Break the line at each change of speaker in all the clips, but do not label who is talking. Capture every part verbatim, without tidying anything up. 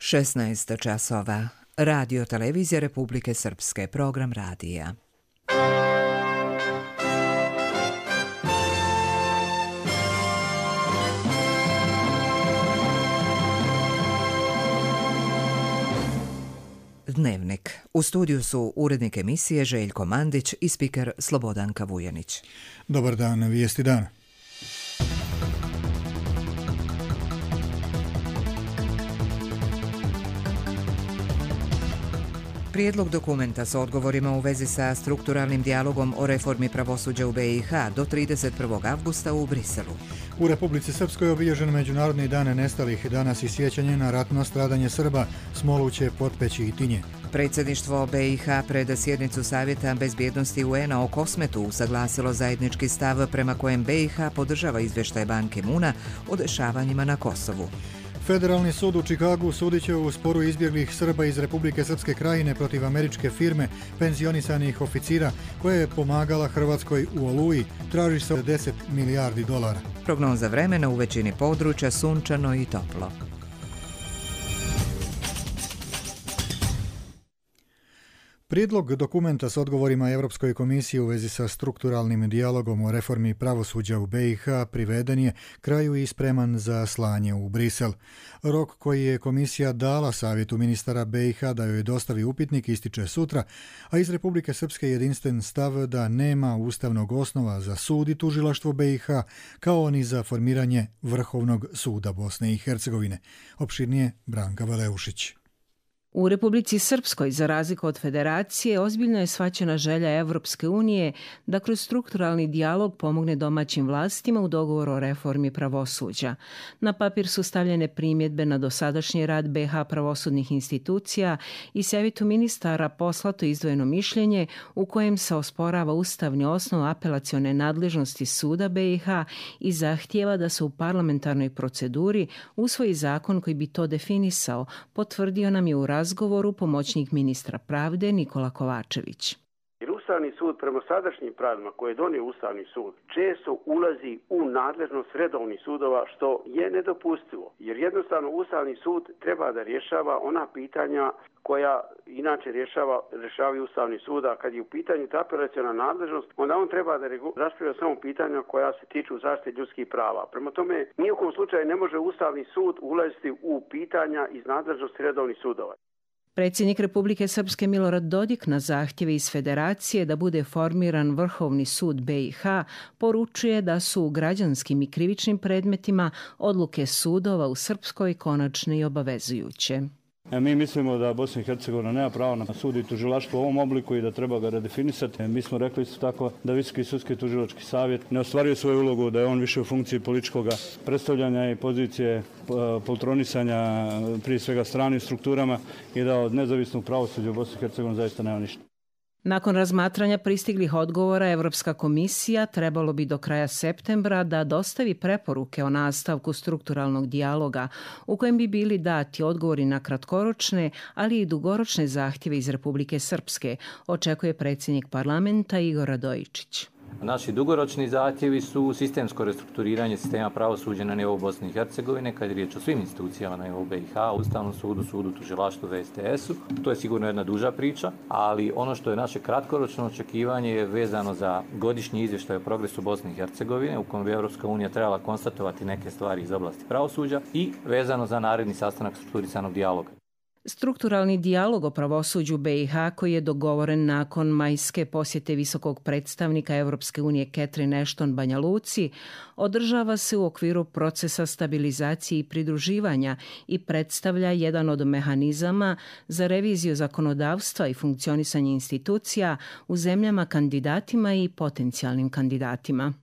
šesnaest časova. Radio Televizija Republike Srpske, program radija. Dnevnik. U studiju su urednik emisije Željko Mandić i spiker Slobodanka Vujanić.
Dobar dan, vijesti dana.
Prijedlog dokumenta s odgovorima u vezi sa strukturalnim dijalogom o reformi pravosuđa u be i ha do trideset prvog avgusta u Briselu.
U Republici Srpskoj je obilježen Međunarodni dan nestalih, danas i sjećanje na ratno stradanje Srba, Smoluće, Potpeći i Tinje.
Predsjedništvo be i ha pred sjednicu Savjeta bezbjednosti u en a o Kosmetu usaglasilo zajednički stav prema kojem be i ha podržava izvještaj Ban Ki-moona o dešavanjima na Kosovu.
Federalni sud u Čikagu sudit će u sporu izbjeglih Srba iz Republike Srpske krajine protiv američke firme penzionisanih oficira koja je pomagala Hrvatskoj u Oluji. Traži se deset milijardi dolara.
Prognoza vremena: u većini područja sunčano i toplo.
Prijedlog dokumenta s odgovorima Europskoj komisiji u vezi sa strukturalnim dijalogom o reformi pravosuđa u be i ha priveden je kraju i spreman za slanje u Brisel. Rok koji je komisija dala Savjetu ministara be i ha da joj dostavi upitnik ističe sutra, a iz Republike Srpske jedinstven stav da nema ustavnog osnova za sud i tužilaštvo be i ha, kao ni za formiranje Vrhovnog suda Bosne i Hercegovine. Opširnije Branka Valeušić.
U Republici Srpskoj, za razliku od Federacije, ozbiljno je shvaćena želja Evropske unije da kroz strukturalni dijalog pomogne domaćim vlastima u dogovoru o reformi pravosuđa. Na papir su stavljene primjedbe na dosadašnji rad be ha pravosudnih institucija i Savjetu ministara poslato izdvojeno mišljenje u kojem se osporava ustavni osnov apelacione nadležnosti suda be i ha i zahtijeva da se u parlamentarnoj proceduri usvoji zakon koji bi to definisao, potvrdio nam je u razgovoru pomoćnik ministra pravde Nikola Kovačević.
Jer Ustavni sud prema sadašnjim pravilima koje je donio Ustavni sud često ulazi u nadležnost redovnih sudova, što je nedopustivo. Jer jednostavno Ustavni sud treba da rješava ona pitanja koja inače rješava, rješavaju Ustavni sud, a kad je u pitanju ta apelaciona nadležnost, onda on treba da raspravlja samo pitanja koja se tiču zaštite ljudskih prava. Prema tome, nijekom slučaju ne može Ustavni sud ulaziti u pitanja iz nadležnosti redovnih sudova.
Predsjednik Republike Srpske Milorad Dodik na zahtjeve iz Federacije da bude formiran Vrhovni sud be i ha poručuje da su u građanskim i krivičnim predmetima odluke sudova u Srpskoj konačne i obavezujuće.
Mi mislimo da Bosna i Hercegovina nema pravo na sud i tužilaštvo u ovom obliku i da treba ga redefinisati. Mi smo rekli isto tako da Visoki sudski tužilački savjet ne ostvaruje svoju ulogu, da je on više u funkciji političkog predstavljanja i pozicije poltronisanja prije svega stranim strukturama i da od nezavisnog pravosuđa u Bosni i Hercegovini zaista nema ništa.
Nakon razmatranja pristiglih odgovora, Evropska komisija trebalo bi do kraja septembra da dostavi preporuke o nastavku strukturalnog dijaloga u kojem bi bili dati odgovori na kratkoročne, ali i dugoročne zahtjeve iz Republike Srpske, očekuje predsjednik parlamenta Igor Radojičić.
Naši dugoročni zahtjevi su sistemsko restrukturiranje sistema pravosuđa na nivou Bosne i Hercegovine, kad je riječ o svim institucijama na nivou be i ha, Ustavnom sudu, sudu, tužilaštvu, ve es te esu. To je sigurno jedna duža priča, ali ono što je naše kratkoročno očekivanje je vezano za godišnji izvještaj o progresu Bosne i Hercegovine, u kojem bi Evropska unija trebala konstatovati neke stvari iz oblasti pravosuđa i vezano za naredni sastanak strukturisanog dijaloga.
Strukturalni dijalog o pravosuđu be i ha, koji je dogovoren nakon majske posjete visokog predstavnika Evropske unije Catherine Ashton Banja Luci, održava se u okviru procesa stabilizacije i pridruživanja i predstavlja jedan od mehanizama za reviziju zakonodavstva i funkcionisanje institucija u zemljama kandidatima i potencijalnim kandidatima.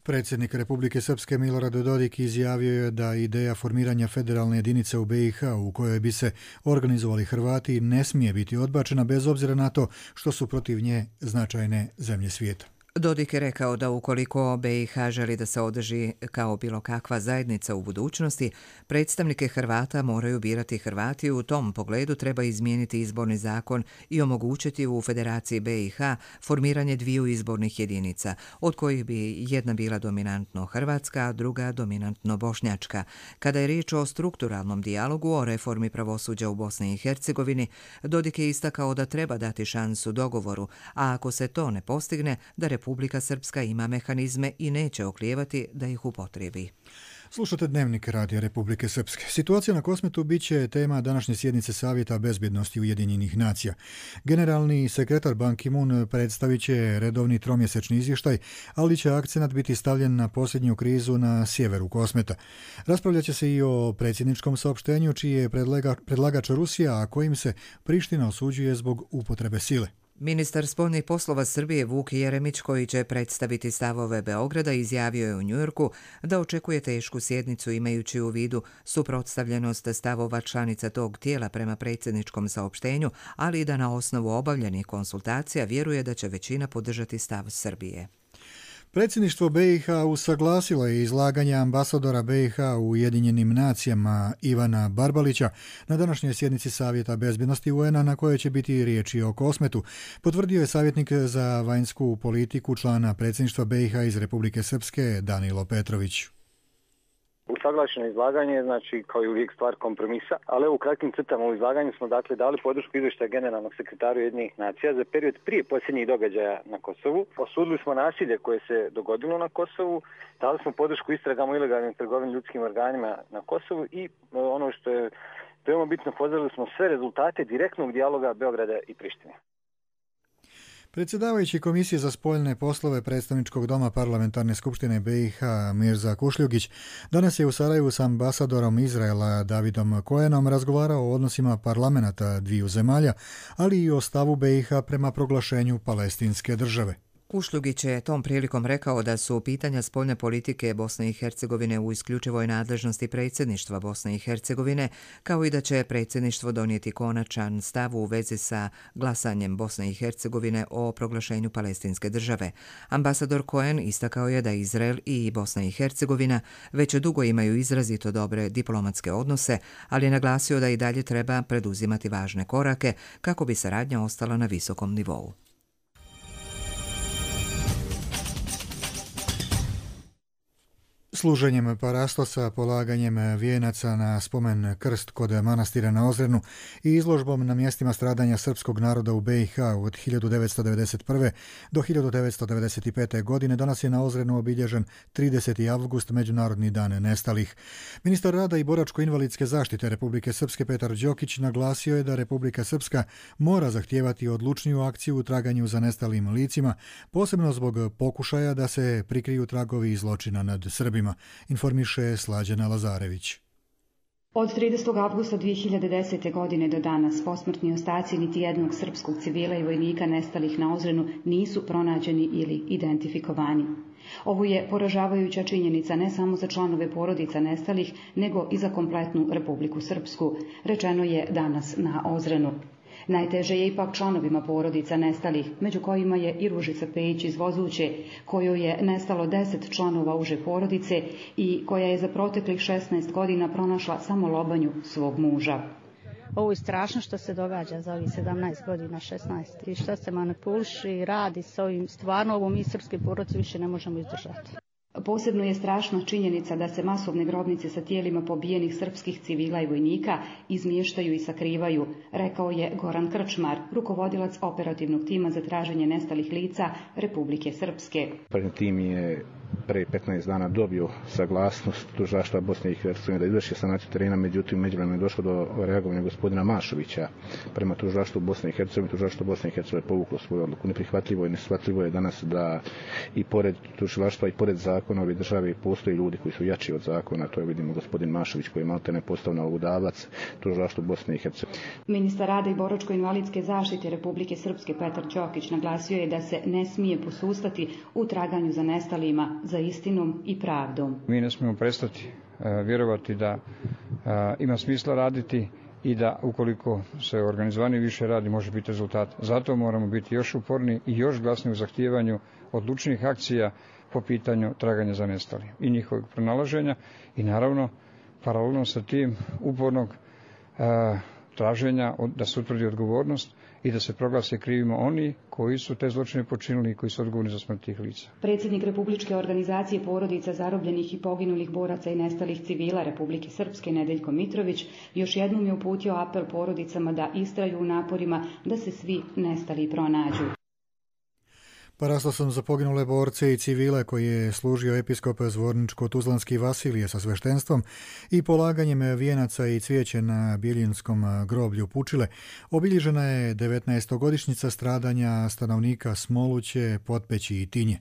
Predsjednik Republike Srpske Milorad Dodik izjavio je da ideja formiranja federalne jedinice u be i ha u kojoj bi se organizovali Hrvati ne smije biti odbačena bez obzira na to što su protiv nje značajne zemlje svijeta.
Dodik je rekao da ukoliko B i H želi da se održi kao bilo kakva zajednica u budućnosti, predstavnike Hrvata moraju birati Hrvati. U tom pogledu treba izmijeniti izborni zakon i omogućiti u Federaciji B i H formiranje dviju izbornih jedinica, od kojih bi jedna bila dominantno hrvatska, a druga dominantno bošnjačka. Kada je riječ o strukturalnom dijalogu o reformi pravosuđa u Bosni i Hercegovini, Dodik je istakao da treba dati šansu dogovoru, a ako se to ne postigne, da Republika Srpska ima mehanizme i neće oklijevati da ih upotrijebi.
Slušate Dnevnik Radija Republike Srpske. Situacija na Kosmetu bit će tema današnje sjednice Savjeta bezbjednosti Ujedinjenih nacija. Generalni sekretar Ban Ki-moon predstavit će redovni tromjesečni izvještaj, ali će akcenat biti stavljen na posljednju krizu na sjeveru Kosmeta. Raspravljat će se i o predsjedničkom saopštenju, čiji je predlagač Rusija, a kojim se Priština osuđuje zbog upotrebe sile.
Ministar spoljnih poslova Srbije Vuk Jeremić, koji će predstaviti stavove Beograda, izjavio je u Njujorku da očekuje tešku sjednicu imajući u vidu suprotstavljenost stavova članica tog tijela prema predsjedničkom saopštenju, ali i da na osnovu obavljenih konsultacija vjeruje da će većina podržati stav Srbije.
Predsjedništvo B i H usaglasilo je izlaganje ambasadora B i H u Ujedinjenim nacijama Ivana Barbalića na današnjoj sjednici Savjeta bezbjednosti U N-a na kojoj će biti riječi o Kosmetu, potvrdio je savjetnik za vanjsku politiku člana predsjedništva B i H iz Republike Srpske Danilo Petrović.
Usaglašeno izlaganje, znači kao i uvijek stvar kompromisa, ali u kratkim crtama u izlaganju smo dakle dali podršku izvještaja generalnog sekretara Ujedinjenih nacija za period prije posljednjih događaja na Kosovu. Osudili smo nasilje koje se dogodilo na Kosovu, dali smo podršku istragama o ilegalnim trgovini ljudskim organima na Kosovu i ono što je veoma bitno, pozdravili smo sve rezultate direktnog dijaloga Beograda i Prištine.
Predsjedavajući Komisije za spoljne poslove Predstavničkog doma Parlamentarne skupštine B i H Mirza Kušljugić danas je u Sarajevu s ambasadorom Izraela Davidom Koenom razgovarao o odnosima parlamenata dviju zemalja, ali i o stavu B i H prema proglašenju palestinske države.
Kušljugić je tom prilikom rekao da su pitanja spoljne politike Bosne i Hercegovine u isključivoj nadležnosti predsjedništva Bosne i Hercegovine, kao i da će predsjedništvo donijeti konačan stav u vezi sa glasanjem Bosne i Hercegovine o proglašenju palestinske države. Ambasador Cohen istakao je da Izrael i Bosna i Hercegovina već dugo imaju izrazito dobre diplomatske odnose, ali je naglasio da i dalje treba preduzimati važne korake kako bi saradnja ostala na visokom nivou.
Služenjem parastosa, polaganjem vijenaca na spomen krst kod manastira na Ozrenu i izložbom na mjestima stradanja srpskog naroda u B i H od hiljadu devetsto devedeset prve. do hiljadu devetsto devedeset pete. godine danas je na Ozrenu obilježen trideseti avgust, Međunarodni dan nestalih. Ministar rada i boračko-invalidske zaštite Republike Srpske Petar Đokić naglasio je da Republika Srpska mora zahtijevati odlučniju akciju u traganju za nestalim licima, posebno zbog pokušaja da se prikriju tragovi zločina nad Srbima, informiše Slađana Lazarević.
Od tridesetog avgusta dvije hiljade desete. godine do danas posmrtni ostaci niti jednog srpskog civila i vojnika nestalih na Ozrenu nisu pronađeni ili identifikovani. Ovo je poražavajuća činjenica ne samo za članove porodica nestalih, nego i za kompletnu Republiku Srpsku, rečeno je danas na Ozrenu. Najteže je ipak članovima porodica nestalih, među kojima je i Ružica Pejić iz Vozuće, kojoj je nestalo deset članova uže porodice i koja je za proteklih šesnaest godina pronašla samo lobanju svog muža.
Ovo je strašno što se događa za ovih sedamnaest godina, šesnaest. I što se manipuliši i radi s ovim, stvarno ovo mi srpske porodice više ne možemo izdržati.
Posebno je strašna činjenica da se masovne grobnice sa tijelima pobijenih srpskih civila i vojnika izmještaju i sakrivaju, rekao je Goran Krčmar, rukovodilac operativnog tima za traženje nestalih lica Republike Srpske.
Prvi tim je pre petnaest dana dobio saglasnost tužilaštva Bosne i Hercegovine da izvrši sanaciju terena, međutim međuvremeno je došlo do reagovanja gospodina Mašovića prema tužilaštvu Bosne i Hercegovine. Tužilaštvo Bosne i Hercegovine povuklo svoju odluku. Neprihvatljivo i neshvatljivo je danas da i pored tužilaštva i pored zakona ove države postoje ljudi koji su jači od zakona. To je, vidimo, gospodin Mašović koji je maltene postao nalogodavac tužilaštvu Bosne i Hercegovine.
Ministar rada i boračko-invalidske zaštite Republike Srpske Petar Đokić naglasio je da se ne smije posustati u traganju za nestalima, za istinom i pravdom.
Mi ne smijemo prestati uh, vjerovati da uh, ima smisla raditi i da ukoliko se organizovani više radi može biti rezultat. Zato moramo biti još uporni i još glasni u zahtijevanju odlučnih akcija po pitanju traganja za nestalim i njihovog pronalaženja i naravno paralelno sa tim upornog a, traženja da se utvrdi odgovornost i da se proglase krivima oni koji su te zločine počinili i koji su odgovorni za smrt tih lica.
Predsjednik Republičke organizacije porodica zarobljenih i poginulih boraca i nestalih civila Republike Srpske Nedeljko Mitrović još jednom je uputio apel porodicama da istraju u naporima da se svi nestali pronađu.
Parastosom za poginule borce i civile koji je služio episkop Zvorničko-Tuzlanski Vasilije sa sveštenstvom i polaganjem vijenaca i cvijeće na Biljinskom groblju Pučile obilježena je devetnaestogodišnjica stradanja stanovnika Smoluće, Potpeći i Tinje.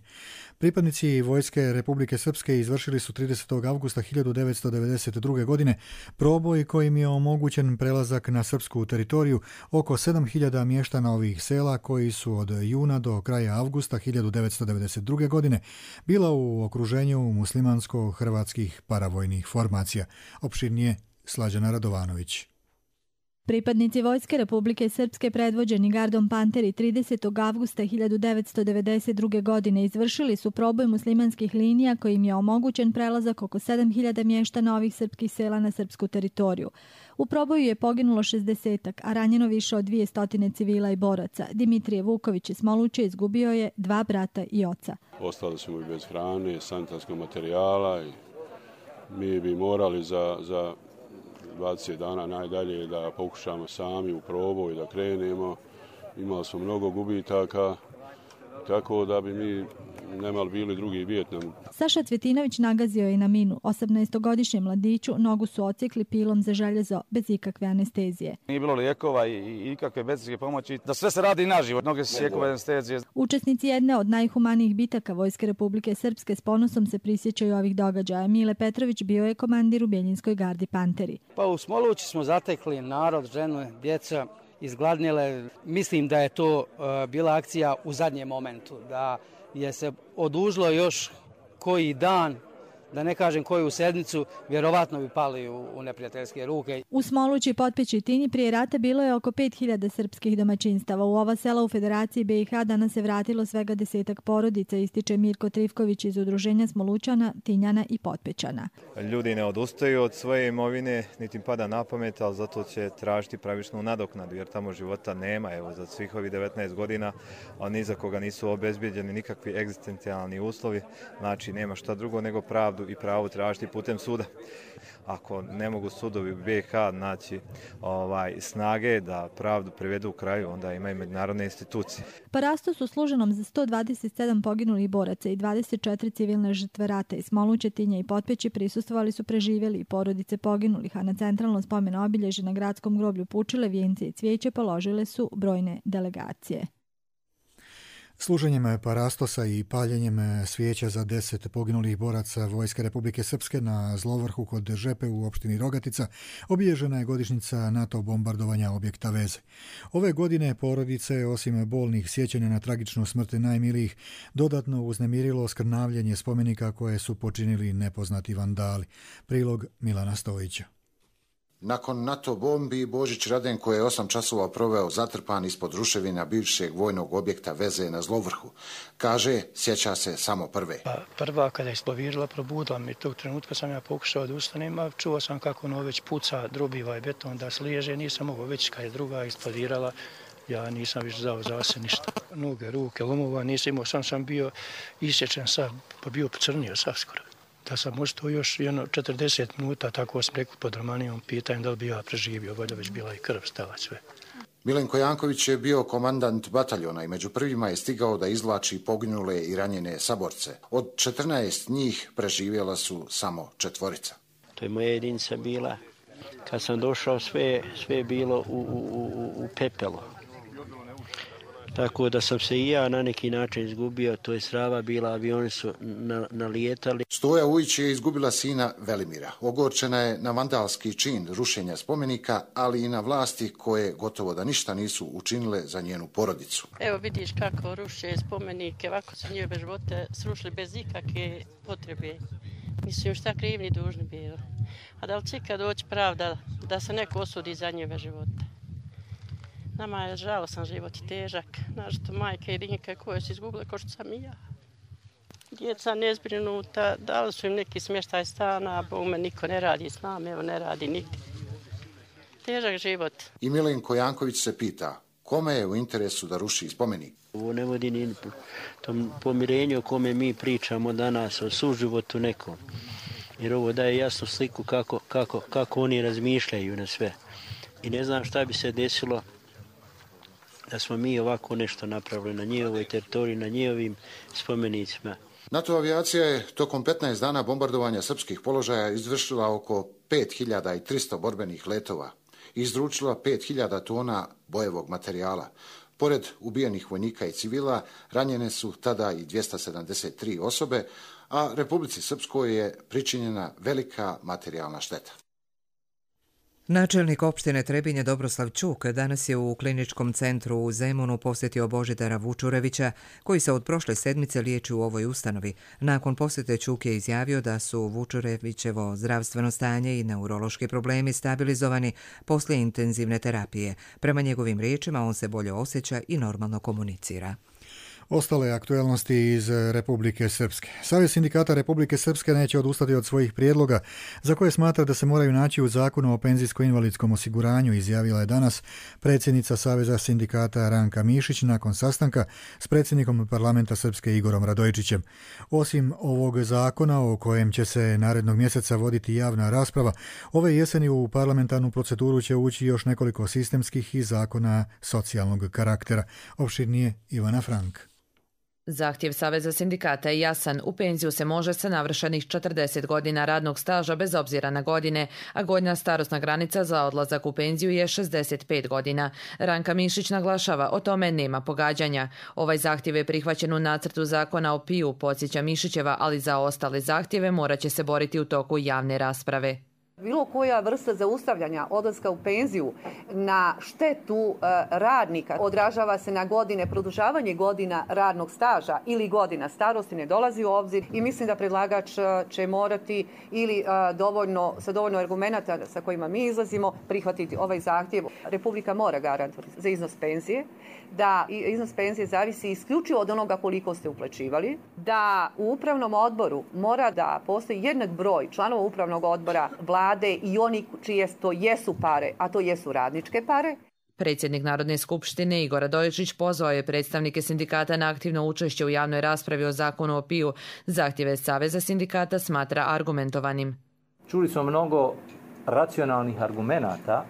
Pripadnici Vojske Republike Srpske izvršili su tridesetog avgusta hiljadu devetsto devedeset druge. godine proboj kojim je omogućen prelazak na srpsku teritoriju oko sedam hiljada mještana ovih sela koji su od juna do kraja avgusta hiljadu devetsto devedeset druge. godine bila u okruženju muslimansko-hrvatskih paravojnih formacija. Opširnije Slađana Radovanović.
Pripadnici Vojske Republike Srpske predvođeni gardom Panteri tridesetog avgusta hiljadu devetsto devedeset druge. godine izvršili su proboj muslimanskih linija kojim je omogućen prelazak oko sedam hiljada mještana ovih srpskih sela na srpsku teritoriju. U proboju je poginulo šezdesetak, a ranjeno više od dvjesto civila i boraca. Dimitrije Vuković iz Smoluće izgubio je dva brata i oca.
Ostali smo i bez hrane, sanitarskog materijala i mi bi morali za... za dvadeset dana najdalje da pokušamo sami u proboj da krenemo. Imali smo mnogo gubitaka, tako da bi mi nemali bili drugi Vijetnam.
Saša Cvjetinović nagazio je na minu. osamnaestogodišnjem mladiću nogu su ocikli pilom za željezo bez ikakve anestezije.
Nije bilo lijekova i ikakve medicinske pomoći, da sve se radi naživo, noge su sjekove anestezije.
Učesnici jedne od najhumanijih bitaka Vojske Republike Srpske s ponosom se prisjećaju ovih događaja. Mile Petrović bio je komandir u Bjeljinskoj gardi Panteri.
Pa u Smolući smo zatekli narod, ženu, djeca, izgladnjele. Mislim da je to uh, bila akcija u zadnjem momentu, da je se odužilo još koji dan, da ne kažem koju sedmicu, vjerovatno bi pali u, u neprijateljske ruke.
U Smolući, Potpeći i Tinji prije rata bilo je oko pet hiljada srpskih domaćinstava. U ova sela u Federaciji B i H danas se vratilo svega desetak porodica, ističe Mirko Trifković iz Udruženja Smolućana, Tinjana i Potpećana.
Ljudi ne odustaju od svoje imovine, niti im pada na pamet, ali zato će tražiti pravičnu nadoknadu, jer tamo života nema. Evo, za svih ovih devetnaest godina, a ni za koga nisu obezbijeđeni nikakvi egzistencijalni uslovi, znači nema šta drugo nego pravdu i pravo tražiti putem suda. Ako ne mogu sudovi u B i H naći ovaj, snage da pravdu privedu u kraju, onda imaju međunarodne institucije.
Parastos u služenom za sto dvadeset sedam poginulih boraca i dvadeset četiri civilne žrtve rata iz Smoluće, Tinja i Potpeći prisustvovali su preživjeli i porodice poginulih, a na centralno spomen obilježje na gradskom groblju Pučile vijence i cvijeće položile su brojne delegacije.
Služenjem parastosa i paljenjem svijeća za deset poginulih boraca Vojske Republike Srpske na Zlovrhu kod Žepe u opštini Rogatica obilježena je godišnjica NATO bombardovanja objekta Veze. Ove godine porodice, osim bolnih sjećanja na tragičnu smrt najmilijih, dodatno uznemirilo skrnavljenje spomenika koje su počinili nepoznati vandali. Prilog Milana Stojića.
Nakon NATO bombi, Božić Radenko je osam časova proveo zatrpan ispod ruševina bivšeg vojnog objekta Veze na Zlovrhu. Kaže, sjeća se samo prve.
Pa, prva kada je eksplodirala, probudila mi. Tog trenutka sam ja pokušao da ustanem, a čuo sam kako ono već puca, drubiva i beton da sliježe. Nisam mogao već kada je druga eksplodirala. Ja nisam više dao za se ništa. Noge, ruke, lomova nisam imao, sam sam bio isječen sav, pa bio pocrnio sav skoro. Da sam možda još jedno četrdeset minuta, tako sam rekao pod Romanijom, pitanjem da li bi ja preživio, valjda već bila i krv stala sve.
Milenko Janković je bio komandant bataljona i među prvima je stigao da izvlači poginule i ranjene saborce. Od četrnaest njih preživjela su samo četvorica.
To je moja jedinica bila. Kad sam došao, sve, sve je bilo u, u, u, u pepelu. Tako da sam se i ja na neki način izgubio, to je srava bila, avioni su na, nalijetali.
Stoja Ujić je izgubila sina Velimira. Ogorčena je na vandalski čin rušenja spomenika, ali i na vlasti koje gotovo da ništa nisu učinile za njenu porodicu.
Evo vidiš kako ruše spomenike, ovako su njihove živote srušili bez ikakve potrebe. Nisu još šta krivni dužni bili. A da li će ikad doći pravda da se neko osudi za njeve živote? Nama je žalosan život i težak. Našto majke i rinjke koje su izgubile ko što sam i ja. Djeca nezbrinuta, dali su im neki smještaj stana, a bome niko ne radi s nama, evo ne radi nigdje. Težak život. I
Milenko Janković se pita, kome je u interesu da ruši spomenik?
Ovo ne vodi ni tom pomirenju o kome mi pričamo danas, o suživotu nekom. Jer ovo daje jasnu sliku kako, kako, kako oni razmišljaju na sve. I ne znam šta bi se desilo da smo mi ovako nešto napravili na njihovoj teritoriji, na njihovim spomenicima.
NATO avijacija je tokom petnaest dana bombardovanja srpskih položaja izvršila oko pet hiljada tristo borbenih letova i izručila pet hiljada tona bojevog materijala. Pored ubijenih vojnika i civila, ranjene su tada i dvjesto sedamdeset tri osobe, a Republici Srpskoj je pričinjena velika materijalna šteta.
Načelnik opštine Trebinje Dobroslav Čuk danas je u kliničkom centru u Zemunu posjetio Božidara Vučurevića, koji se od prošle sedmice liječi u ovoj ustanovi. Nakon posjete Čuk je izjavio da su Vučurevićevo zdravstveno stanje i neurološki problemi stabilizovani poslije intenzivne terapije. Prema njegovim riječima on se bolje osjeća i normalno komunicira.
Ostale aktualnosti iz Republike Srpske. Savez sindikata Republike Srpske neće odustati od svojih prijedloga, za koje smatra da se moraju naći u Zakonu o penzijsko-invalidskom osiguranju, izjavila je danas predsjednica Saveza sindikata Ranka Mišić nakon sastanka s predsjednikom parlamenta Srpske Igorom Radojičićem. Osim ovog zakona o kojem će se narednog mjeseca voditi javna rasprava, ove jeseni u parlamentarnu proceduru će ući još nekoliko sistemskih i zakona socijalnog karaktera. Opširnije Ivana Frank.
Zahtjev Saveza sindikata je jasan. U penziju se može sa navršenih četrdeset godina radnog staža bez obzira na godine, a gornja starosna granica za odlazak u penziju je šezdeset pet godina. Ranka Mišić naglašava, o tome nema pogađanja. Ovaj zahtjev je prihvaćen u nacrtu zakona o P I U, podsjeća Mišićeva, ali za ostale zahtjeve morat će se boriti u toku javne rasprave.
Bilo koja vrsta zaustavljanja odlaska u penziju na štetu e, radnika odražava se na godine, produžavanje godina radnog staža ili godina starosti ne dolazi u obzir i mislim da predlagač će morati ili e, dovoljno, sa dovoljno argumenata sa kojima mi izlazimo prihvatiti ovaj zahtjev. Republika mora garantovati za iznos penzije, da iznos penzije zavisi isključivo od onoga koliko ste uplaćivali, da u upravnom odboru mora da postoji jednak broj članova upravnog odbora vlade i oni čije to jesu pare, a to jesu radničke pare.
Predsjednik Narodne skupštine Igor Radojičić pozvao je predstavnike sindikata na aktivno učešće u javnoj raspravi o zakonu o P I U. Zahtjeve Saveza sindikata smatra argumentovanim.
Čuli smo mnogo racionalnih argumenata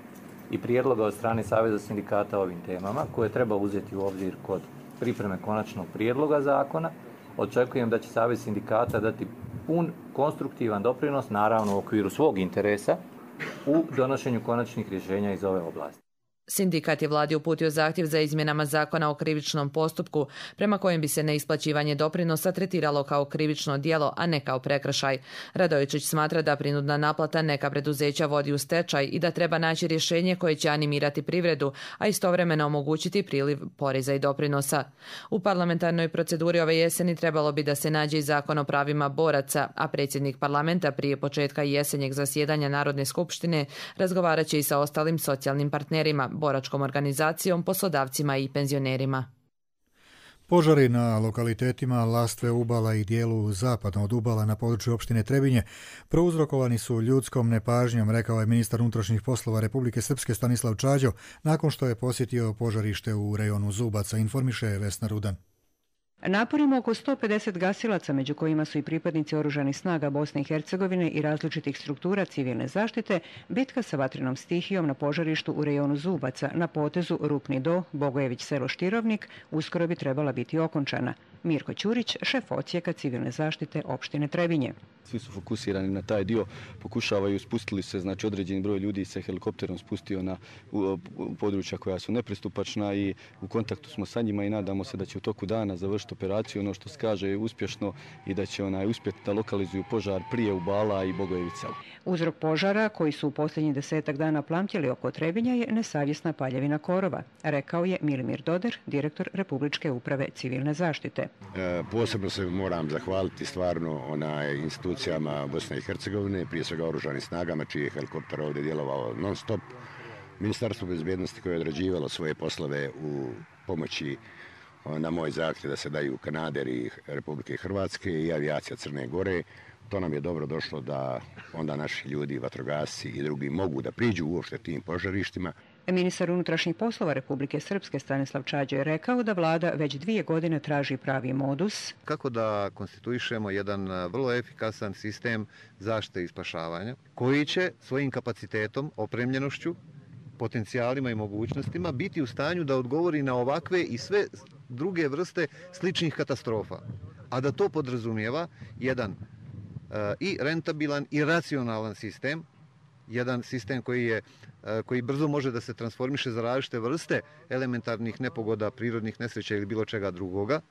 i prijedloga od strane Saveza sindikata o ovim temama koje treba uzeti u obzir kod pripreme konačnog prijedloga zakona. Očekujem da će Savez sindikata dati pun konstruktivan doprinos, naravno u okviru svog interesa, u donošenju konačnih rješenja iz ove oblasti.
Sindikat je vladi uputio zahtjev za izmjenama zakona o krivičnom postupku, prema kojem bi se neisplaćivanje doprinosa tretiralo kao krivično djelo, a ne kao prekršaj. Radojičić smatra da prinudna naplata neka preduzeća vodi u stečaj i da treba naći rješenje koje će animirati privredu, a istovremeno omogućiti priliv poreza i doprinosa. U parlamentarnoj proceduri ove jeseni trebalo bi da se nađe i zakon o pravima boraca, a predsjednik parlamenta prije početka jesenjeg zasjedanja Narodne skupštine razgovarat će i sa ostalim socijalnim partnerima, boračkom organizacijom, poslodavcima i penzionerima.
Požari na lokalitetima Lastve Ubala i dijelu zapadno od Ubala na području opštine Trebinje prouzrokovani su ljudskom nepažnjom, rekao je ministar unutrašnjih poslova Republike Srpske Stanislav Čađo nakon što je posjetio požarište u rejonu Zubaca, informiše Vesna Rudan.
Naporima oko sto pedeset gasilaca, među kojima su i pripadnici oružanih snaga Bosne i Hercegovine i različitih struktura civilne zaštite, bitka sa vatrenom stihijom na požarištu u rejonu Zubaca na potezu Rupni do, Bogojević selo Štirovnik, uskoro bi trebala biti okončana. Mirko Ćurić, šef odsjeka civilne zaštite opštine Trebinje.
Svi su fokusirani na taj dio, pokušavaju, spustili se, znači određeni broj ljudi se helikopterom spustio na u, u područja koja su nepristupačna i u kontaktu smo sa njima i nadamo se da će u toku dana završiti operaciju, ono što se kaže je uspješno i da će onaj uspjeti da lokalizuju požar prije Ubala i Bogojevica.
Uzrok požara, koji su u posljednjih desetak dana plamtjeli oko Trebinja, je nesavjesna paljevina korova, rekao je Milimir Doder, direktor Republičke uprave civilne zaštite.
E, posebno se moram zahvaliti stvarno onaj institucijama Bosne i Hercegovine, prije svega oružanim snagama, čiji je helikopter ovdje djelovao non stop, Ministarstvo bezbjednosti koje je odrađivalo svoje poslove u pomoći na moj zahtjev da se daju kanaderi Republike Hrvatske i avijacija Crne Gore. To nam je dobro došlo da onda naši ljudi, vatrogasci i drugi mogu da priđu uopšte tim požarištima.
Ministar unutrašnjih poslova Republike Srpske Stanislav Čađo je rekao da vlada već dvije godine traži pravi modus.
Kako da konstituišemo jedan vrlo efikasan sistem zaštite i spašavanja koji će svojim kapacitetom, opremljenošću, potencijalima i mogućnostima biti u stanju da odgovori na ovakve i sve druge vrste sličnih katastrofa. A da to podrazumijeva jedan uh, i rentabilan i racionalan sistem, jedan sistem koji je uh, koji brzo može da se transformiše za različite vrste elementarnih nepogoda, prirodnih nesreća ili bilo čega drugoga.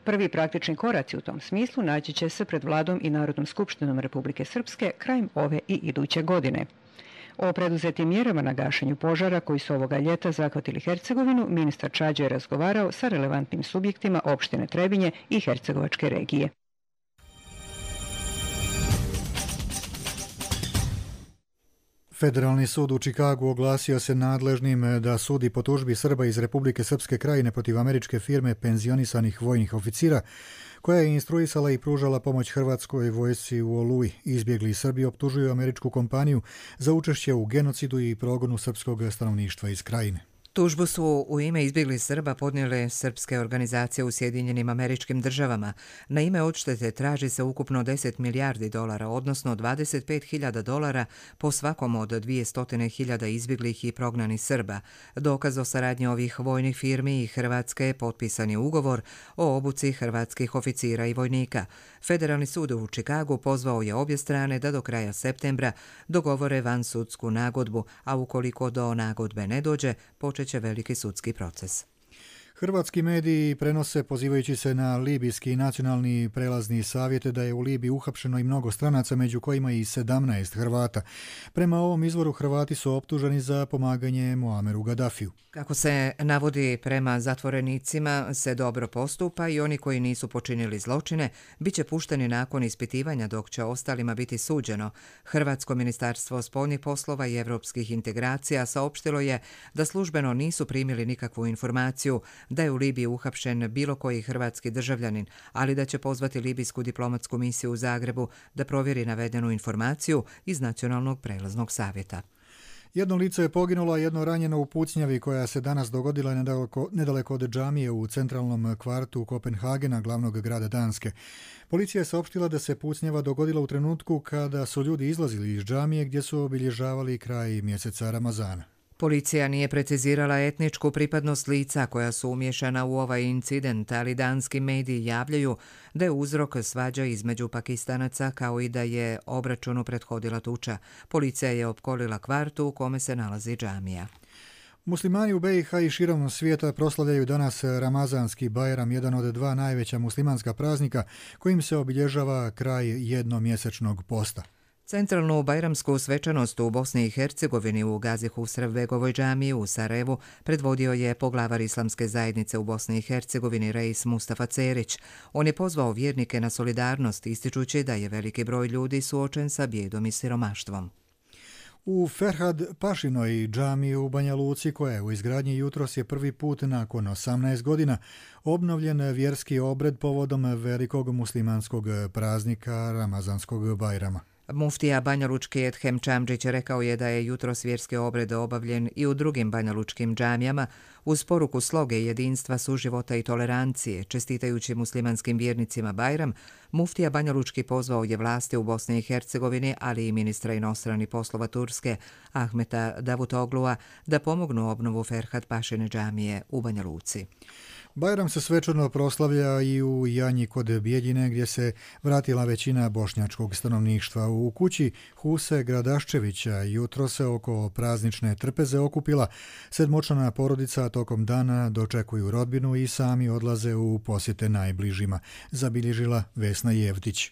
Prvi praktični koraci u tom smislu naći će se pred vladom i Narodnom skupštinom Republike Srpske krajem ove i iduće godine. O preduzetim mjerama na gašenju požara koji su ovoga ljeta zahvatili Hercegovinu, ministar Čađo je razgovarao sa relevantnim subjektima opštine Trebinje i Hercegovačke regije.
Federalni sud u Čikagu oglasio se nadležnim da sudi po tužbi Srba iz Republike Srpske Krajine protiv američke firme penzionisanih vojnih oficira, koja je instruisala i pružala pomoć hrvatskoj vojsci u Oluji. Izbjegli Srbi optužuju američku kompaniju za učešće u genocidu i progonu srpskog stanovništva iz Krajine.
Tužbu su u ime izbjeglih Srba podnijele srpske organizacije u Sjedinjenim Američkim Državama. Na ime odštete traži se ukupno deset milijardi dolara, odnosno dvadeset pet hiljada dolara po svakom od dvjesto hiljada izbjeglih i prognanih Srba. Dokaz o saradnji ovih vojnih firmi i Hrvatske je potpisani ugovor o obuci hrvatskih oficira i vojnika. Federalni sud u Čikagu pozvao je obje strane da do kraja septembra dogovore vansudsku nagodbu, a ukoliko do nagodbe ne dođe, počet će veliki sudski proces.
Hrvatski mediji prenose, pozivajući se na Libijski nacionalni prelazni savjet, da je u Libiji uhapšeno i mnogo stranaca, među kojima i sedamnaest Hrvata. Prema ovom izvoru Hrvati su optuženi za pomaganje Muameru Gaddafiju.
Kako se navodi, prema zatvorenicima se dobro postupa i oni koji nisu počinili zločine bit će pušteni nakon ispitivanja, dok će ostalima biti suđeno. Hrvatsko ministarstvo spoljnih poslova i evropskih integracija saopštilo je da službeno nisu primili nikakvu informaciju da je u Libiji uhapšen bilo koji hrvatski državljanin, ali da će pozvati libijsku diplomatsku misiju u Zagrebu da provjeri navedenu informaciju iz Nacionalnog prelaznog savjeta.
Jedno lice je poginulo, a jedno ranjeno u pucnjavi koja se danas dogodila nedaleko, nedaleko od džamije u centralnom kvartu Kopenhagena, glavnog grada Danske. Policija je saopštila da se pucnjava dogodila u trenutku kada su ljudi izlazili iz džamije gdje su obilježavali kraj mjeseca Ramazana.
Policija nije precizirala etničku pripadnost lica koja su umješana u ovaj incident, ali danski mediji javljaju da je uzrok svađa između Pakistanaca, kao i da je obračunu prethodila tuča. Policija je opkolila kvartu u kome se nalazi džamija.
Muslimani u be i ha i širom svijeta proslavljaju danas Ramazanski Bajram, jedan od dva najveća muslimanska praznika kojim se obilježava kraj jednomjesečnog posta.
Centralnu bajramsku svečanost u Bosni i Hercegovini u Gazi Husrevbegovoj džamiji u Sarajevu predvodio je poglavar islamske zajednice u Bosni i Hercegovini Reis Mustafa Cerić. On je pozvao vjernike na solidarnost, ističući da je veliki broj ljudi suočen sa bijedom i siromaštvom.
U Ferhad Pašinoj džamiji u Banja Luci, koja je u izgradnji jutros, je prvi put nakon osamnaest godina obnovljen vjerski obred povodom velikog muslimanskog praznika Ramazanskog Bajrama.
Muftija banjalučki Edhem Čamđić rekao je da je jutros vjerski obred obavljen i u drugim banjalučkim džamijama uz poruku sloge jedinstva, suživota i tolerancije. Čestitajući muslimanskim vjernicima Bajram, muftija banjalučki pozvao je vlasti u Bosni i Hercegovini, ali i ministra inostranih poslova Turske Ahmeta Davutoglua da pomognu obnovu Ferhad Pašine džamije u Banja Luci.
Bajram se svečano proslavlja i u Janji kod Bijeljine gdje se vratila većina bošnjačkog stanovništva. U kući Huse Gradaščevića jutro se oko praznične trpeze okupila. Sedmočlana porodica tokom dana dočekuju rodbinu i sami odlaze u posjete najbližima, zabilježila Vesna Jevtić.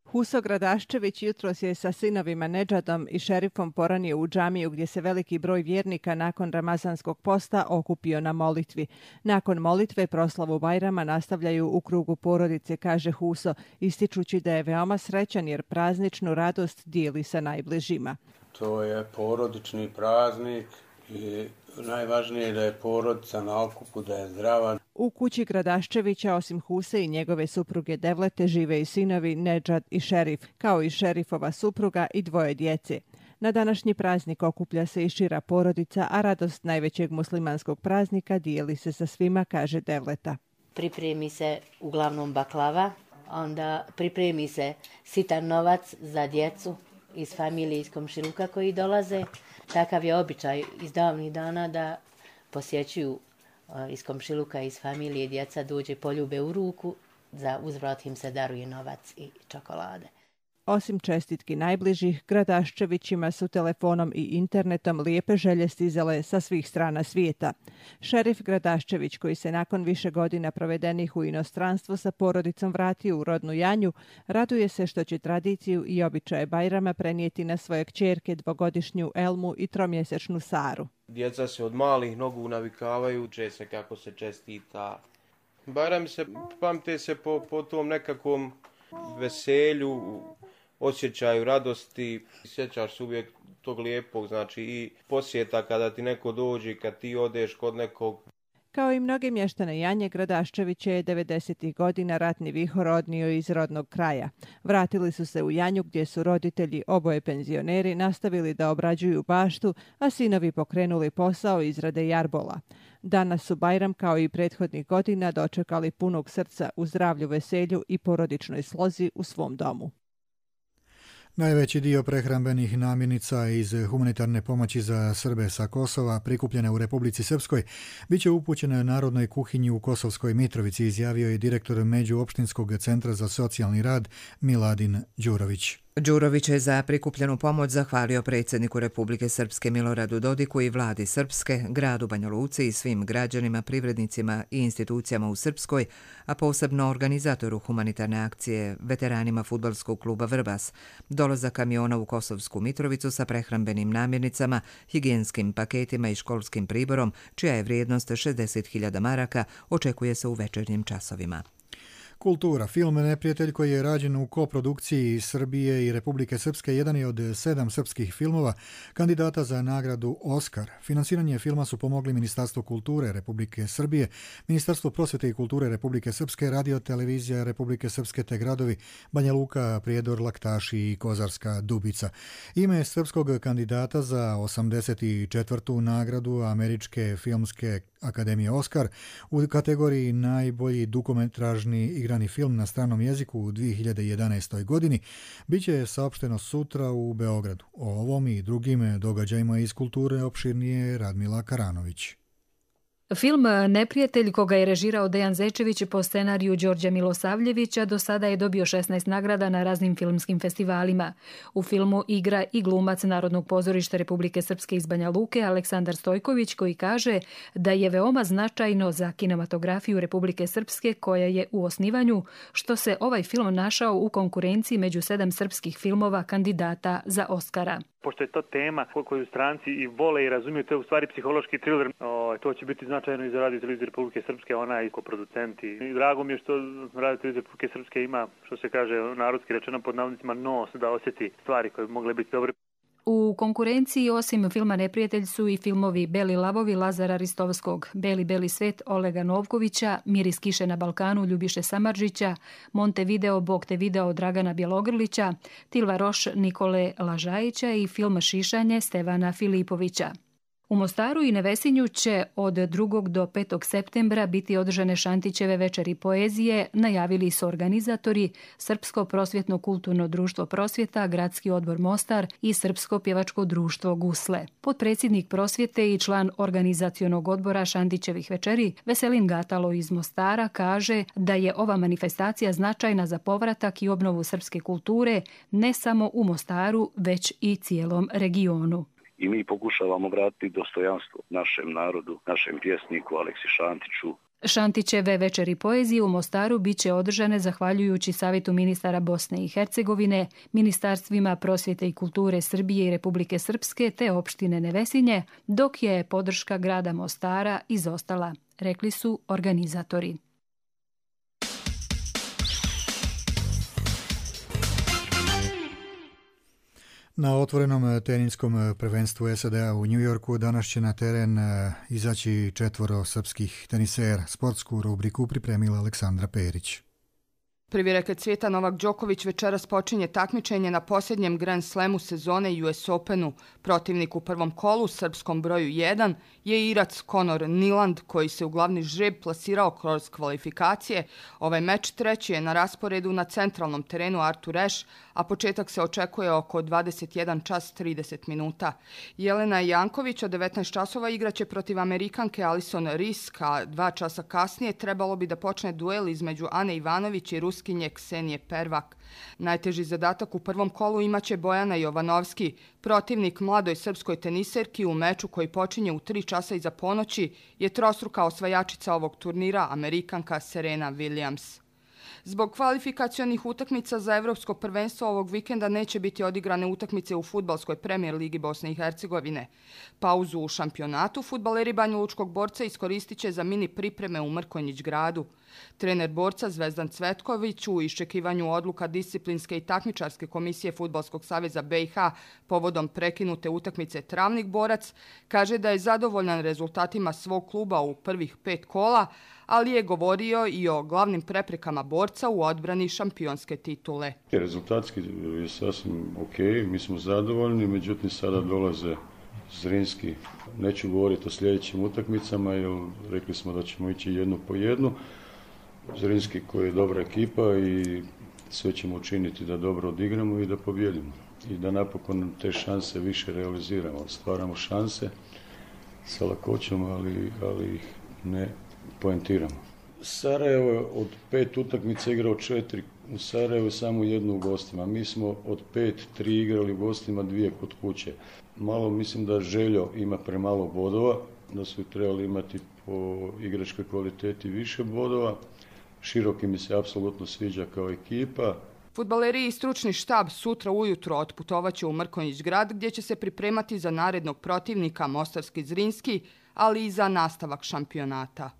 Huso Gradaščević jutros je sa sinovima Nedžadom i šerifom poranio u džamiju gdje se veliki broj vjernika nakon ramazanskog posta okupio na molitvi. Nakon molitve proslavu Bajrama nastavljaju u krugu porodice, kaže Huso, ističući da je veoma srećan jer prazničnu radost dijeli sa najbližima.
To je porodični praznik i najvažnije je da je porodica na okupu, da je zdrava.
U kući Gradaščevića osim Huse i njegove supruge Devlete žive i sinovi Nedžad i šerif, kao i šerifova supruga i dvoje djece. Na današnji praznik okuplja se i šira porodica, a radost najvećeg muslimanskog praznika dijeli se sa svima, kaže Devleta.
Pripremi se uglavnom baklava, onda pripremi se sitan novac za djecu iz familije, iz komšiluka koji dolaze. Takav je običaj iz davnih dana da posjećuju iz komšiluka, iz familije, djeca dođe poljube u ruku, za uzvrat im se daruje novac i čokolade.
Osim čestitki najbližih, Gradaščevićima su telefonom i internetom lijepe želje stizale sa svih strana svijeta. Šerif Gradaščević, koji se nakon više godina provedenih u inostranstvu sa porodicom vratio u rodnu Janju, raduje se što će tradiciju i običaje Bajrama prenijeti na svoje kćerke dvogodišnju Elmu i tromjesečnu Saru.
Djeca se od malih nogu navikavaju, uče se kako se čestita. Bajrami se pamte se po, po tom nekakvom veselju, osjećaju radosti, sjećaš se uvijek tog lijepog, znači i posjeta kada ti neko dođe, kad ti odeš kod nekog.
Kao i mnoge mještane Janje, Gradaščević je devedesetih godina ratni vihor odnio iz rodnog kraja. Vratili su se u Janju gdje su roditelji, oboje penzioneri, nastavili da obrađuju baštu, a sinovi pokrenuli posao izrade jarbola. Danas su Bajram kao i prethodnih godina dočekali punog srca u zdravlju, veselju i porodičnoj slozi u svom domu.
Najveći dio prehrambenih namirnica iz humanitarne pomoći za Srbe sa Kosova prikupljene u Republici Srpskoj biće upućene Narodnoj kuhinji u Kosovskoj Mitrovici, izjavio je direktor Međuopštinskog centra za socijalni rad Miladin Đurović.
Đurović je za prikupljenu pomoć zahvalio predsjedniku Republike Srpske Miloradu Dodiku i vladi Srpske, gradu Banja Luci i svim građanima, privrednicima i institucijama u Srpskoj, a posebno organizatoru humanitarne akcije, veteranima fudbalskog kluba Vrbas, dolazak kamiona u Kosovsku Mitrovicu sa prehrambenim namirnicama, higijenskim paketima i školskim priborom, čija je vrijednost šezdeset hiljada maraka, očekuje se u večernjim časovima.
Kultura. Film Neprijatelj, koji je rađen u koprodukciji Srbije i Republike Srpske, jedan je od sedam srpskih filmova kandidata za nagradu Oskar. Finansiranje filma su pomogli Ministarstvo kulture Republike Srbije, Ministarstvo prosvjete i kulture Republike Srpske, Radio televizija Republike Srpske te gradovi Banja Luka, Prijedor, Laktaši i Kozarska Dubica. Ime srpskog kandidata za osamdeset četvrtu nagradu Američke filmske akademije Oskar u kategoriji najbolji dugometražni igrani film na stranom jeziku u dvije hiljade jedanaestoj. godini biće saopšteno sutra u Beogradu. O ovom i drugim događajima iz kulture opširnije Radmila Karanović.
Film Neprijatelj, koga je režirao Dejan Zečević po scenariju Đorđa Milosavljevića, do sada je dobio šesnaest nagrada na raznim filmskim festivalima. U filmu igra i glumac Narodnog pozorišta Republike Srpske iz Banja Luke Aleksandar Stojković, koji kaže da je veoma značajno za kinematografiju Republike Srpske, koja je u osnivanju, što se ovaj film našao u konkurenciji među sedam srpskih filmova kandidata za Oskara.
Pošto je to tema koju stranci i vole i razumiju, to je u stvari psihološki thriller. O, to će biti značajno i za Radio televiziju Republike Srpske, ona je koproducent. I drago mi je što Radio televizija Republike Srpske ima, što se kaže narodski rečeno pod navodnicima, nos da osjeti stvari koje bi mogle biti dobre.
U konkurenciji osim filma Neprijatelj su i filmovi Beli lavovi Lazara Ristovskog, Beli beli svet Olega Novkovića, Miris kiše na Balkanu Ljubiše Samardžića, Montevideo Bog te video Dragana Bjelogrlića, Tilva Roš Nikole Lažajića i film Šišanje Stevana Filipovića. U Mostaru i Nevesinju će od drugog do petog septembra biti održane Šantićeve večeri poezije, najavili su organizatori Srpsko prosvjetno kulturno društvo Prosvjeta, Gradski odbor Mostar i Srpsko pjevačko društvo Gusle. Potpredsjednik prosvjete i član organizacionog odbora Šantićevih večeri, Veselin Gatalo iz Mostara, kaže da je ova manifestacija značajna za povratak i obnovu srpske kulture ne samo u Mostaru, već i cijelom regionu.
I mi pokušavamo vratiti dostojanstvo našem narodu, našem pjesniku Aleksi Šantiću.
Šantićeve večeri poezije u Mostaru bit će održane zahvaljujući Savjetu ministara Bosne i Hercegovine, ministarstvima prosvjete i kulture Srbije i Republike Srpske te opštine Nevesinje, dok je podrška grada Mostara izostala, rekli su organizatori.
Na otvorenom teniskom prvenstvu S A D-a u New Yorku danas će na teren izaći četvoro srpskih tenisera. Sportsku rubriku pripremila Aleksandra Perić.
Prvi reket svijeta Novak Đoković večeras počinje takmičenje na posljednjem Grand Slamu sezone U S Openu. Protivnik u prvom kolu, srpskom broju jedan, je Irac Conor Niland, koji se u glavni žreb plasirao kroz kvalifikacije. Ovaj meč treći je na rasporedu na centralnom terenu Arthur Ashe, a početak se očekuje oko dvadeset jedan čas trideset minuta. Jelena Janković od devetnaest časova igraće protiv Amerikanke Alison Risk, a dva časa kasnije trebalo bi da počne duel između Ane Ivanović i Ruskinje Ksenije Pervak. Najteži zadatak u prvom kolu imaće Bojana Jovanovski, protivnik mladoj srpskoj teniserki u meču koji počinje u tri časa iza ponoći je trostruka osvajačica ovog turnira, Amerikanka Serena Williams. Zbog kvalifikacionih utakmica za Evropsko prvenstvo ovog vikenda neće biti odigrane utakmice u fudbalskoj premijer ligi Bosne i Hercegovine. Pauzu u šampionatu fudbaleri Banjalučkog Borca iskoristit će za mini pripreme u Mrkonjić gradu. Trener Borca Zvezdan Cvetković u iščekivanju odluka disciplinske i takmičarske komisije Fudbalskog saveza B i H povodom prekinute utakmice Travnik Borac kaže da je zadovoljan rezultatima svog kluba u prvih pet kola, ali je govorio i o glavnim preprekama Borca u odbrani šampionske titule.
Rezultatski je sasvim ok, mi smo zadovoljni, međutim sada dolaze Zrinski. Neću govoriti o sljedećim utakmicama, jer rekli smo da ćemo ići jednu po jednu. Zrinski koji je dobra ekipa i sve ćemo učiniti da dobro odigramo i da pobjedimo. I da napokon te šanse više realiziramo. Stvaramo šanse sa lakoćom, ali, ali ih ne poentiramo. Sarajevo od pet utakmica igrao četiri u Sarajevu, samo jednu u gostima. Mi smo od pet, tri igrali u gostima, dvije kod kuće. Malo mislim da Željo ima premalo bodova, da su trebali imati po igračkoj kvaliteti više bodova. Široki mi se apsolutno sviđa kao ekipa.
Fudbaleri i stručni štab sutra ujutro otputovaće u Mrkonjić grad gdje će se pripremati za narednog protivnika Mostarski Zrinski, ali i za nastavak šampionata.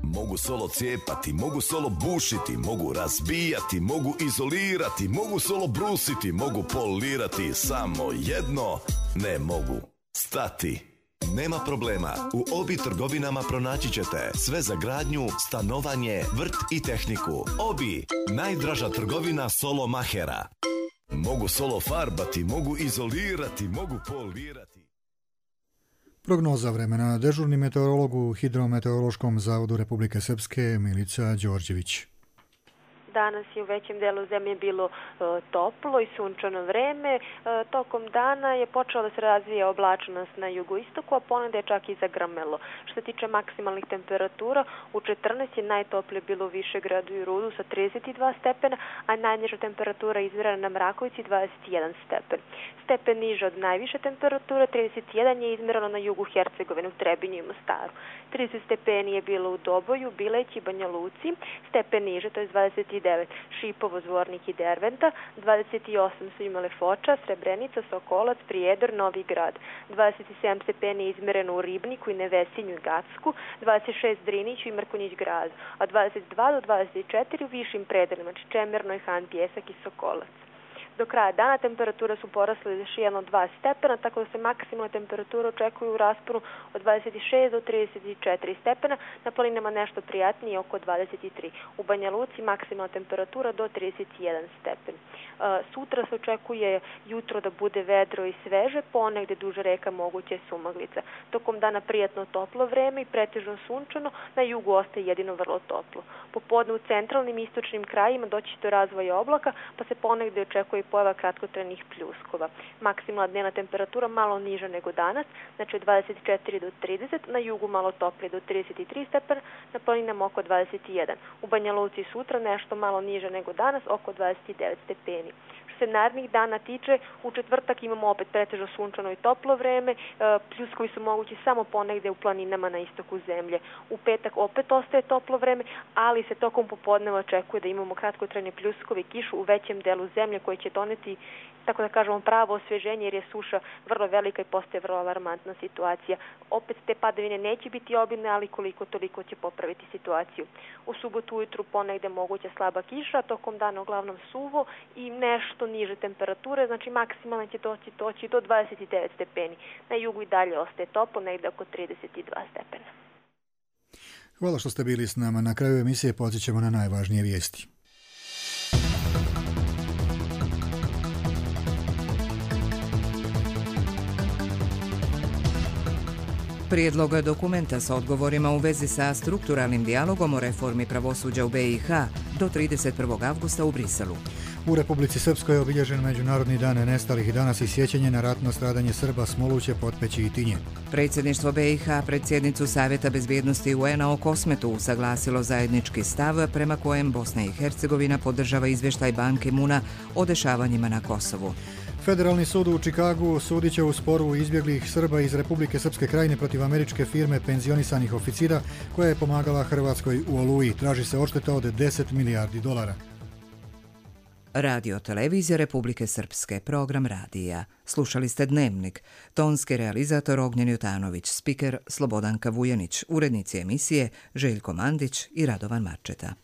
Mogu solo cijepati, mogu solo bušiti, mogu razbijati, mogu izolirati, mogu solo brusiti, mogu polirati, samo jedno ne mogu stati. Nema problema, u Obi trgovinama pronaći ćete sve za gradnju, stanovanje, vrt i tehniku. Obi, najdraža trgovina solo mahera. Mogu solo farbati, mogu izolirati, mogu polirati.
Prognoza vremena. Dežurni meteorolog u Hidrometeorološkom zavodu Republike Srpske Milica Đorđević.
Danas je u većem delu zemlje bilo e, toplo i sunčano vreme. E, tokom dana je počela da se razvija oblačnost na jugoistoku, a ponegde je čak i zagrmelo. Što se tiče maksimalnih temperatura, u četrnaest je najtoplije bilo u Višegradu i Rudu sa trideset dva stepena, a najniža temperatura izmjerena na Mrakovici dvadeset jedan stepen. Stepen niže od najviše temperature, trideset jedan je izmjereno na jugu Hercegovine u Trebinju i Mostaru. trideset stepeni je bilo u Doboju, Bileći i Banja Luci, stepen niže, to je dvadeset devet Šipovo, Zvornik i Derventa, dvadeset osam su imale Foča, Srebrenica, Sokolac, Prijedor, Novi Grad, dvadeset sedam stepeni je izmjereno u Ribniku i Nevesinju i Gacku, dvadeset šest Driniću i Mrkonjić gradu, a dvadeset dva do dvadeset četiri u višim predelima, znači Čemerno, Han, Pjesak i Sokolac. Do kraja dana temperature su porasle još jedno dva stepena, tako da se maksimalna temperatura očekuje u rasponu od dvadeset šest do trideset četiri stepena, na planinama nešto prijatnije oko dvadeset tri. U Banja Luci maksimalna temperatura do trideset jedan stepen. Sutra se očekuje jutro da bude vedro i sveže, ponegde duž reka moguće sumaglica. Tokom dana prijatno toplo vreme i pretežno sunčano, na jugu ostaje jedino vrlo toplo. Popodne u centralnim i istočnim krajima doći do razvoja oblaka, pa se ponegde očekuje i pojava kratkotrajnih pljuskova. Maksimalna dnevna temperatura malo niža nego danas, znači od dvadeset četiri do trideset, na jugu malo toplije do trideset tri stepena, na planinama oko dvadeset jedan. U Banja Luci sutra nešto malo niže nego danas, oko dvadeset devet stepeni. Što se narednih dana tiče, u četvrtak imamo opet pretežno sunčano i toplo vreme, pljuskovi su mogući samo ponegde u planinama na istoku zemlje. U petak opet ostaje toplo vreme, ali se tokom popodneva očekuje da imamo kratkotrajne pljuskove i kišu u većem delu zemlje koji će doneti, tako da kažemo, pravo osveženje jer je suša vrlo velika i postaje vrlo alarmantna situacija. Opet te padavine neće biti obilne, ali koliko toliko će popraviti situaciju. U subotu ujutru ponegde moguća slaba kiša, tokom dana uglavnom suvo i nešto niže temperature, znači maksimalno će doći, doći do dvadeset devet stepeni. Na jugu i dalje ostaje toplo, negde oko trideset dva stepena.
Hvala što ste bili s nama. Na kraju emisije podsjećamo na najvažnije vijesti.
Prijedlog dokumenta sa odgovorima u vezi sa strukturalnim dijalogom o reformi pravosuđa u B i H do trideset prvog avgusta u Briselu.
U Republici Srpskoj je obilježen Međunarodni dan nestalih i danas i sjećanje na ratno stradanje Srba Smoluće, Potpeći i Tinje.
Predsjedništvo B i H predsjednicu Savjeta bezbjednosti U N-a o Kosmetu usaglasilo zajednički stav prema kojem Bosna i Hercegovina podržava izvještaj Ban Ki-moona o dešavanjima na Kosovu.
Federalni sud u Čikagu sudit će u sporu izbjeglih Srba iz Republike Srpske krajine protiv američke firme penzionisanih oficira koja je pomagala Hrvatskoj u Oluji. Traži se odšteta od deset milijardi dolara.
Radio televizija Republike Srpske, program radija. Slušali ste Dnevnik. Tonski realizator Ognjen Jutanović, spiker Slobodanka Vujanić, urednici emisije Željko Mandić i Radovan Marčeta.